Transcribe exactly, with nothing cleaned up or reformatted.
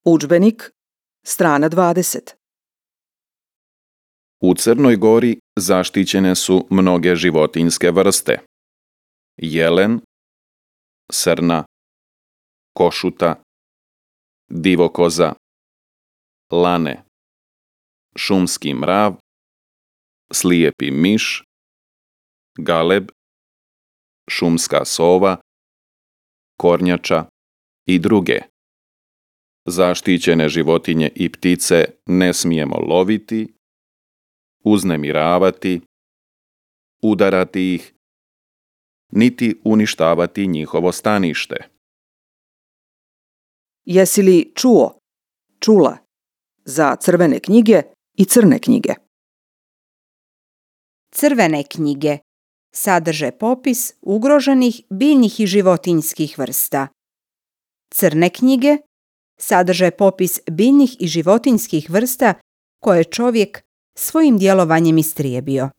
Udžbenik, strana dvadeset. U Crnoj Gori zaštićene su mnoge životinjske vrste. Jelen, srna, košuta, divokoza, lane, šumski mrav, slijepi miš, galeb, šumska sova, kornjača i druge. Zaštićene životinje i ptice ne smijemo loviti, uznemiravati, udarati ih, niti uništavati njihovo stanište. Jesi li čuo, čula za crvene knjige i crne knjige? Crvene knjige sadrže popis ugroženih biljnih i životinjskih vrsta. Crne knjige sadrže popis biljnih i životinjskih vrsta koje je čovjek svojim djelovanjem istrijebio.